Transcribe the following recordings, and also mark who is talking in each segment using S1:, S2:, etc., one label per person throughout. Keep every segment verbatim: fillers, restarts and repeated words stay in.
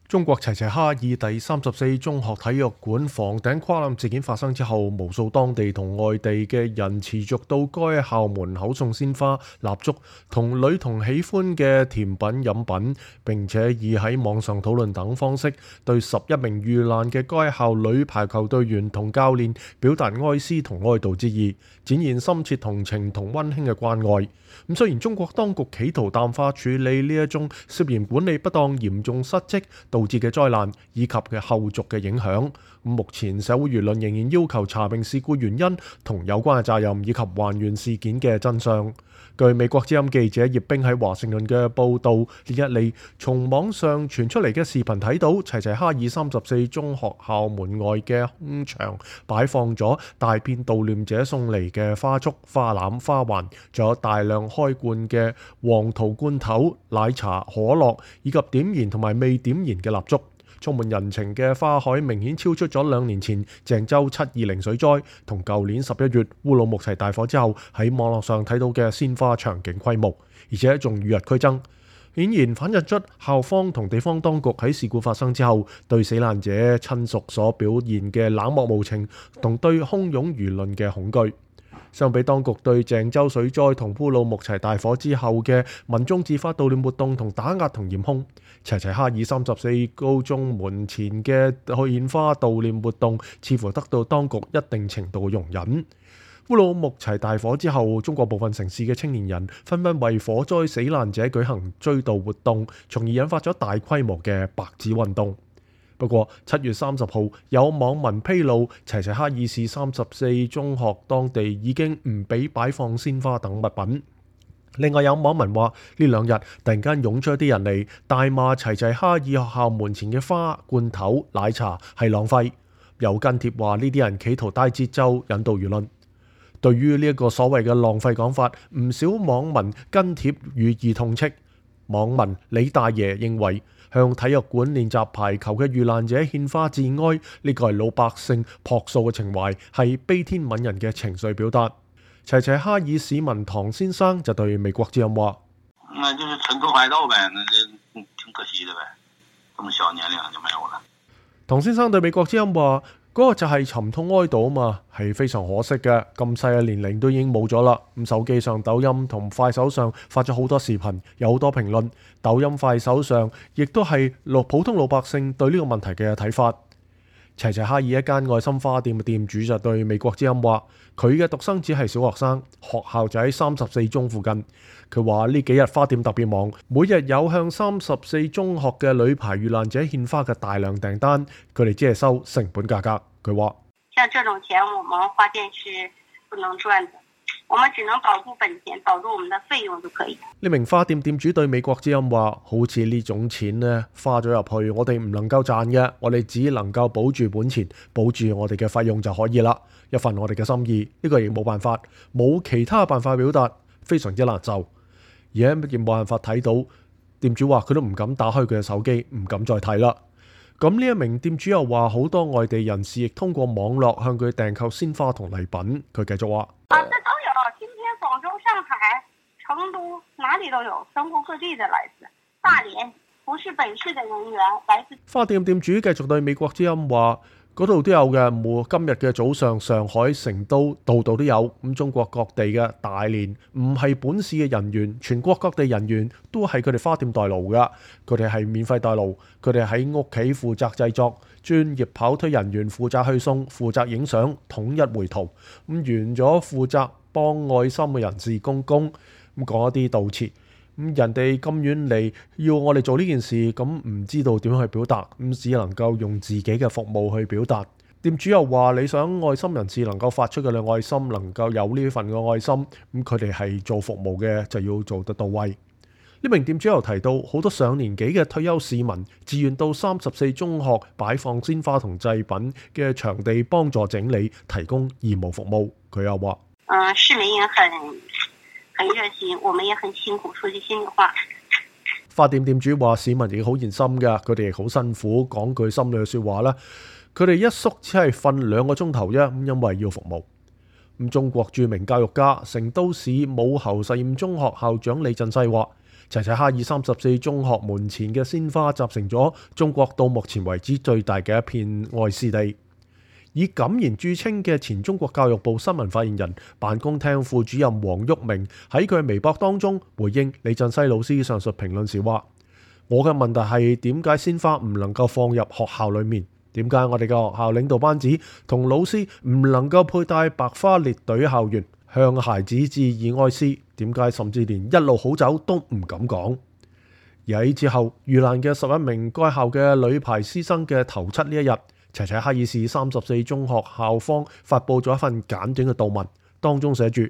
S1: 中國齊齊哈爾第三十四中學體育館房頂跨欄事件發生之後，無數當地同外地嘅人持續到該校門口送鮮花、蠟燭同女童喜歡嘅甜品飲品，並且以喺網上討論等方式對十一名遇難嘅該校女排球隊員同教練表達哀思同哀悼之意，展現深切同情同溫馨嘅關愛。咁雖然中國當局企圖淡化處理呢一宗涉嫌管理不當、嚴重失職導致嘅災難以及嘅後續嘅影響，目前社會輿論仍然要求查明事故原因同有關嘅責任，以及還原事件嘅真相。據美國之音記者葉冰喺華盛頓嘅報導，呢一嚟從網上傳出嚟嘅視頻睇到，齊齊哈爾三十四中學校門外嘅空場擺放咗大片悼念者送嚟嘅花束、花籃、花環，仲有大量開罐嘅黃桃罐頭、奶茶、可樂以及點燃同埋未點燃嘅蠟燭。充滿人情嘅花海明顯超出咗兩年前鄭州七二零水災同舊年十一月烏魯木齊大火之後喺網絡上睇到嘅鮮花場景規模，而且仲與日俱增，顯然反映出校方同地方當局喺事故發生之後對死難者親屬所表現嘅冷漠無情同對洶湧輿論嘅恐懼。相比當局對鄭州水災同烏魯木齊大火之後嘅民眾自發悼念活動同打壓同嚴控，齊齊哈爾三十四高中門前嘅獻花悼念活動似乎得到當局一定程度嘅容忍。烏魯木齊大火之後，中國部分城市嘅青年人紛紛為火災死難者舉行追悼活動，從而引發咗大規模嘅白紙運動。不過七月三十號有網民披露，齊齊哈爾市三十四中學當地已經唔俾擺放鮮花等物品。另外有網民話，呢兩日突然間湧出一啲人嚟大罵齊齊哈爾學校門前嘅花、罐頭、奶茶係浪費，有跟帖話呢啲人企圖帶節奏引導輿論。對於呢一個所謂嘅浪費講法，唔少網民跟帖予以痛斥。網民李大爺認為，向體育館練習排球嘅遇難者獻花致哀，呢個係老百姓樸素嘅情懷，係悲天憫人嘅情緒表達。齊齊哈爾市民唐先生就對美國之音話：
S2: 那就是趁早快到唄，那就挺可惜的唄，這麼小年齡就沒有了。
S1: 唐先生對美國之音話：嗰個就係沉痛哀悼啊嘛，係非常可惜嘅。咁細嘅年齡都已經冇咗啦。咁手機上抖音同快手上發咗好多視頻，有好多評論。抖音、快手上亦都係普通老百姓對呢個問題嘅睇法。齊齊哈爾一間愛心花店嘅店主就對美國之音話：佢嘅獨生子係小學生，學校就喺三十四中附近。佢話呢幾日花店特別忙，每日有向三十四中學嘅女排遇難者獻花嘅大量訂單，佢哋只係收成本價格。佢話：
S3: 像這種錢，我們花店是不能賺的，我們只能保住本錢，保住我們的費用就可以。
S1: 呢名花店店主對美國之音話：好似呢種錢呢，花咗入去，我哋唔能夠賺嘅，我哋只能夠保住本錢，保住我哋嘅費用就可以啦。一份我哋嘅心意，呢個亦冇辦法，冇其他辦法表達，非常之難受。而家亦冇辦法睇到，店主話佢都唔敢打開佢嘅手機，唔敢再睇啦。咁呢一名店主又話，好多外地人士亦通過網絡向佢訂購鮮花同禮品。佢繼續話：
S3: 啊，這都有，今天廣州、上海、成都，哪裡都有，全國各地的來自大連，不是本市的人員來自。
S1: 花店店主繼續對美國之音話：嗰度都有嘅，冇今日嘅早上，上海、成都度度都有。咁中國各地嘅大連唔係本市嘅人員，全國各地人員都係佢哋花店代勞噶，佢哋係免費代勞，佢哋喺屋企負責製作，專業跑推人員負責去送，負責影相，統一回圖。咁完咗負責幫愛心嘅人士公公咁講一啲悼詞。咁人哋咁遠嚟要我哋做呢件事，咁唔知道點樣去表達，咁只能夠用自己嘅服務去表達。店主又話：你想愛心人士能夠發出嘅愛心，能夠有呢份嘅愛心，咁佢哋係做服務嘅，就要做得到位。呢名店主又提到，好多上年紀嘅退休市民自願到三十四中學擺放鮮花同祭品嘅場地幫助整理，提供義務服務。佢又話：
S3: 嗯，市民也很很熱心，我們也很辛苦，說句心裡話。
S1: 花店店主話：市民亦好熱心㗎，佢哋亦好辛苦，講句心裏嘅説話啦。佢哋一宿只係瞓兩個鐘頭啫，咁因為要服務。咁中國著名教育家、成都市武侯實驗中學校長李振西話：齊齊哈爾三十四中學門前嘅鮮花集成咗中國到目前為止最大嘅一片愛絲地。以敢言著稱嘅前中國教育部新聞發言人、辦公廳副主任黃旭明喺佢微博當中回應李振西老師上述評論時話：我嘅問題係點解鮮花唔能夠放入學校裡面？點解我哋嘅學校領導班子同老師唔能夠佩戴白花列隊校園，向孩子致以哀思？點解甚至連一路好走都唔敢講？而喺之後遇難嘅十一名該校嘅女排師生嘅頭七呢一日，齊齊哈爾市三十四中學校方發佈咗一份簡短嘅悼文，當中寫住：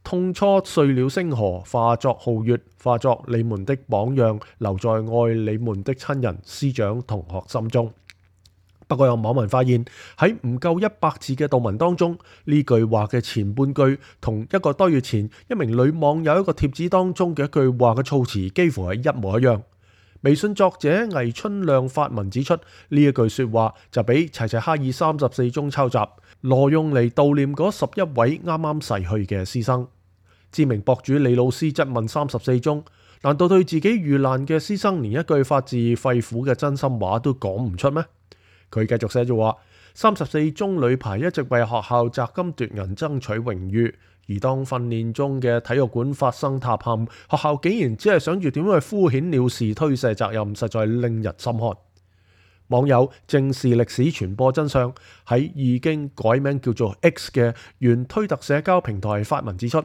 S1: 痛初碎了星河，化作皓月，化作你們的榜樣，留在愛你們的親人、師長、同學心中。不過有網民發現喺唔夠一百字嘅悼文當中，呢句話嘅前半句同一個多月前一名女網友一個貼紙當中嘅一句話嘅措辭幾乎係一模一樣。微信作者魏春亮發文指出，呢一句說話就俾齊齊哈爾三十四中抄襲，挪用嚟悼念嗰十一位啱啱逝去嘅師生。知名博主李老師質問三十四中：難道對自己遇難嘅師生連一句發自肺腑嘅真心話都講唔出咩？佢繼續寫住話：三十四中女排一直為學校摘金奪銀爭取榮譽，而當訓練中嘅體育館發生塌陷，學校竟然只係想住點樣去敷衍了事推卸責任，實在令人心寒。網友正視歷史傳播真相喺已經改名叫做 X 嘅原推特社交平台發文指出，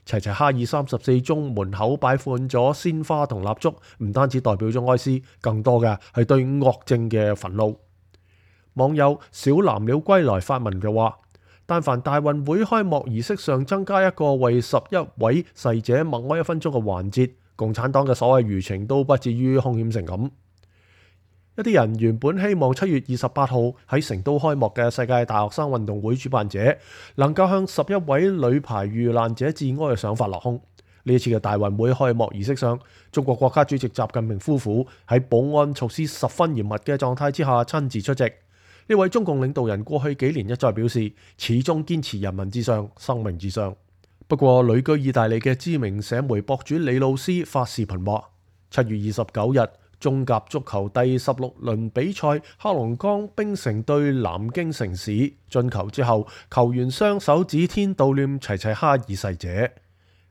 S1: 齊齊哈爾三十四中門口擺放咗鮮花同蠟燭，唔單止代表咗哀思，更多嘅係對惡政嘅憤怒。網友小藍鳥歸來發文就話：但凡大運會開幕儀式上增加一個為十一位逝者默哀一分鐘嘅環節，共產黨嘅所謂輿情都不至於兇險成咁。一啲人原本希望七月二十八號喺成都開幕嘅世界大學生運動會主辦者能夠向十一位女排遇難者致哀嘅想法落空。呢一次嘅大運會開幕儀式上，中國國家主席習近平夫婦喺保安措施十分嚴密嘅狀態之下親自出席。呢位中共領導人過去幾年一再表示，始終堅持人民至上、生命至上。不過，旅居意大利嘅知名社媒博主李老師發視頻話：七月二十九日，中甲足球第十六輪比賽，黑龍江冰城對南京城市進球之後，球員雙手指天悼念齊齊哈爾逝者。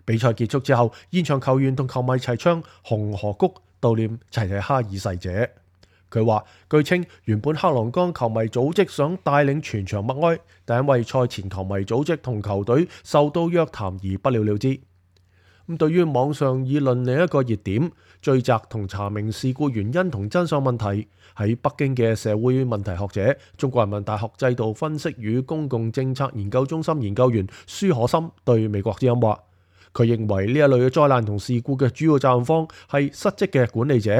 S1: 比賽結束之後，現場球員同球迷齊唱《紅河谷》悼念齊齊哈爾逝者。佢話：據稱原本黑龍江球迷組織想帶領全場默哀，但因為賽前球迷組織同球隊受到約談而不了了之。咁對於網上議論另一個熱點，追責同查明事故原因同真相問題，喺北京嘅社會問題學者、中國人民大學制度分析與公共政策研究中心研究員舒可森對美國之音話：佢認為呢一類嘅災難同事故嘅主要責任方係失職嘅管理者，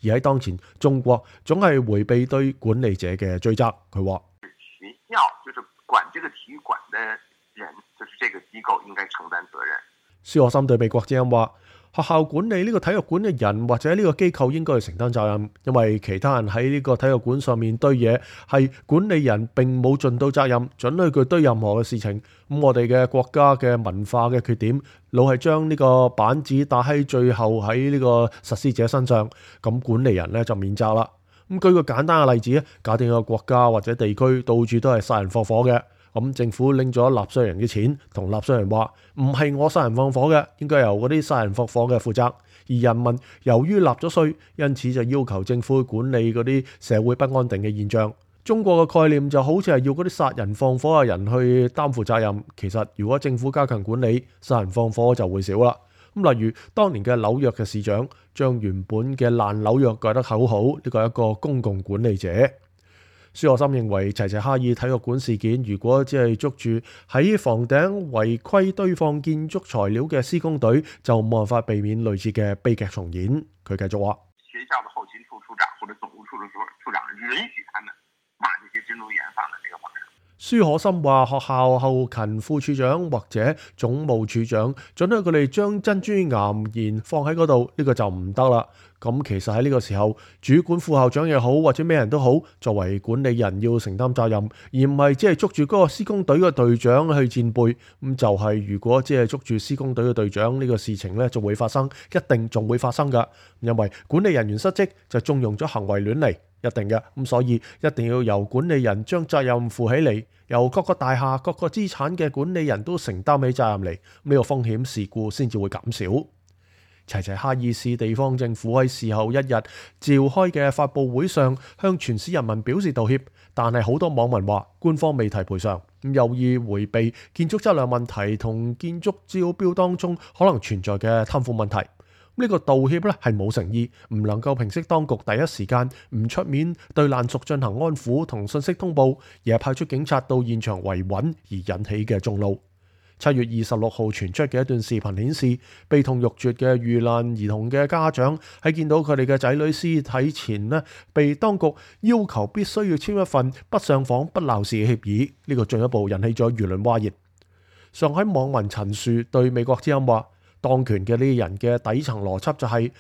S1: 而喺當前中國總係迴避對管理者嘅追責。佢話：
S2: 學校就是管這個體育館的人，就是這個機構應該承擔責任。
S1: 舒可森對美國之音話：學校管理呢個體育館嘅人或者呢個機構應該去承擔責任，因為其他人喺呢個體育館上面堆嘢，係管理人並冇盡到責任，准許佢堆任何嘅事情。咁我哋嘅國家嘅文化嘅缺點，老係將呢個板子打喺最後喺呢個實施者身上，咁管理人呢就免責啦。咁舉個簡單嘅例子，假定一個國家或者地區到處都係殺人放火嘅。咁政府拎咗納稅人嘅錢，同納稅人話唔係我殺人放火嘅，應該由嗰啲殺人放火嘅負責。而人民由於納咗稅，因此就要求政府管理嗰啲社會不安定嘅現象。中國嘅概念就好似係要嗰啲殺人放火嘅人去擔負責任。其實如果政府加強管理，殺人放火就會少啦。咁例如當年嘅紐約嘅市長將原本嘅爛紐約改得好好，呢個係一個公共管理者。舒可森認為，齊齊哈爾體育館事件如果只係捉住喺房頂違規堆放建築材料嘅施工隊，就冇辦法避免類似嘅悲劇重演。佢繼續話：
S2: 學校的後勤處處長或者總務處的處長允許他們罵這些建築員放在這個網上。
S1: 舒可森話：學校後勤副處長或者總務處長准許佢哋將珍珠岩鹽放喺嗰度，呢個就唔得啦。咁其實喺呢個時候，主管副校長又好，或者咩人都好，作為管理人要承擔責任，而唔係只係捉住嗰個施工隊嘅隊長去戰備。咁就係如果只係捉住施工隊嘅隊長，呢個事情呢就會發生，一定仲會發生㗎。因為管理人員失職就縱容咗行為亂嚟，一定嘅。咁所以一定要由管理人將責任負起嚟，由各個大廈、各個資產嘅管理人都承擔起責任嚟，呢個風險事故先至會減少。齊齊哈爾市地方政府喺事後一日召開嘅發佈會上，向全市人民表示道歉，但係好多網民話官方未提賠償，咁有意迴避建築質量問題同建築招標當中可能存在嘅貪腐問題。呢個道歉咧係冇誠意，唔能夠平息當局第一時間唔出面對爛熟進行安撫同信息通報，而係派出警察到現場維穩而引起嘅眾怒。七月二十六號傳出嘅一段視頻顯示，悲痛欲絕嘅遇難兒童嘅家長喺見到佢哋嘅仔女屍體前呢，被當局要求必須要簽一份不上訪不鬧事嘅協議，呢個進一步引起咗輿論譁然。上海網民陳樹對美國之音話：當權嘅呢啲人嘅底層邏輯就係，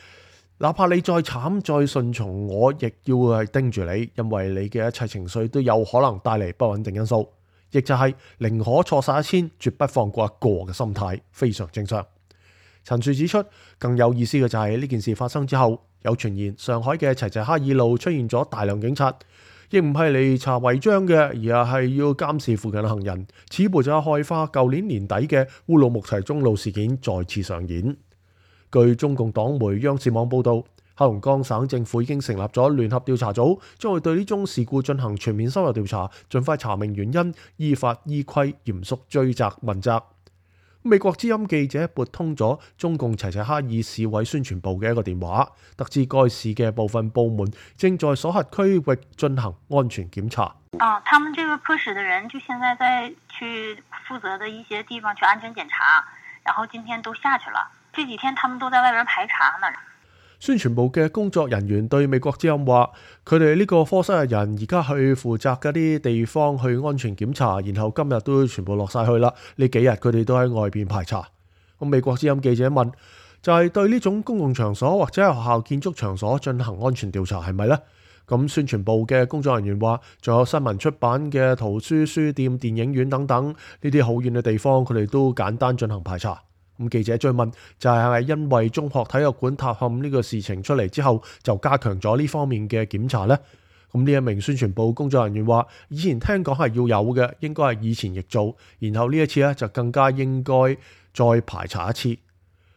S1: 哪怕你再慘再順從，我亦要係盯住你，因為你嘅一切情緒都有可能帶嚟不穩定因素。亦就係寧可錯殺一千，絕不放過一個嘅心態，非常正常。陳樹指出，更有意思嘅就係呢件事發生之後，有傳言上海嘅齊齊哈爾路出現咗大量警察，亦唔係嚟查違章嘅，而係要監視附近嘅行人。此步就害怕舊年年底嘅烏魯木齊中路事件再次上演。據中共黨媒央視網報導，黑龍江省政府已經成立咗聯合調查組，將會對呢宗事故進行全面深入調查，盡快查明原因，依法依規嚴肅追責問責。美國之音記者撥通咗中共齊齊哈爾市委宣傳部嘅一個電話，得知該市嘅部分部門正在所轄區域進行安全檢查。
S3: 啊，他們這個科室的人就現在在去負責的一些地方去安全檢查，然後今天都下去了，這幾天他們都在外邊排查呢。
S1: 宣傳部嘅工作人員對美國之音話，佢哋呢個科室嘅人而家去負責嗰啲地方去安全檢查，然後今日都全部落晒去啦。呢幾日佢哋都喺外邊排查。咁美國之音記者問，就係、是、對呢種公共場所或者係學校建築場所進行安全調查係咪呢？咁宣傳部嘅工作人員話，仲有新聞出版嘅圖書、書店、電影院等等呢啲好遠嘅地方，佢哋都簡單進行排查。咁記者追問，就係係咪因為中學體育館塌陷呢個事情出嚟之後，就加強咗呢方面嘅檢查呢？咁呢一名宣傳部工作人員話，以前聽講係要有嘅，應該係以前亦做，然後呢一次咧就更加應該再排查一次。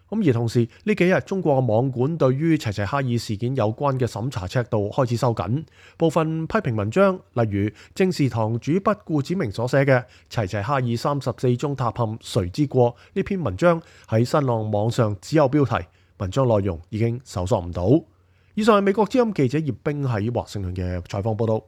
S1: 咁而同時呢幾日中國嘅網管對於齊齊哈爾事件有關嘅審查尺度開始收緊，部分批評文章，例如正視堂主筆顧子明所寫嘅齊齊哈爾三十四宗塌陷誰之過呢篇文章喺新浪網上只有標題，文章內容已經搜索唔到。以上係美國之音記者葉冰喺華盛頓嘅採訪報道。